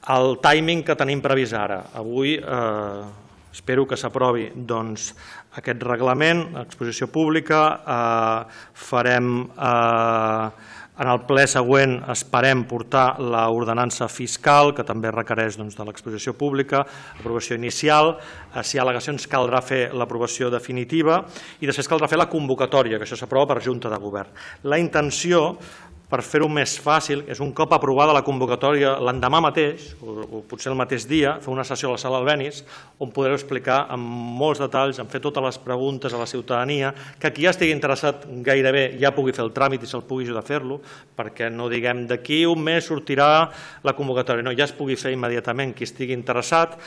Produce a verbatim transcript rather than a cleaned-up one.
El timing que tenim previst ara. Avui espero que s'aprovi aquest reglament, exposició pública, farem en el ple següent esperem portar l'ordenança fiscal, que també requereix de l'exposició pública, aprovació inicial, si hi ha al·legacions caldrà fer l'aprovació definitiva i després caldrà fer la convocatòria, que això s'aprova per Junta de Govern. La intenció, per fer-ho més fàcil, és un cop aprovada la convocatòria l'endemà mateix, o potser el mateix dia, fer una sessió a la sala Albéniz, on podreu explicar amb molts detalls, en fer totes les preguntes a la ciutadania, que qui ja estigui interessat gairebé ja pugui fer el tràmit i se'l pugui ajudar a fer-lo, perquè no diguem d'aquí un mes sortirà la convocatòria, no, ja es pugui fer immediatament qui estigui interessat.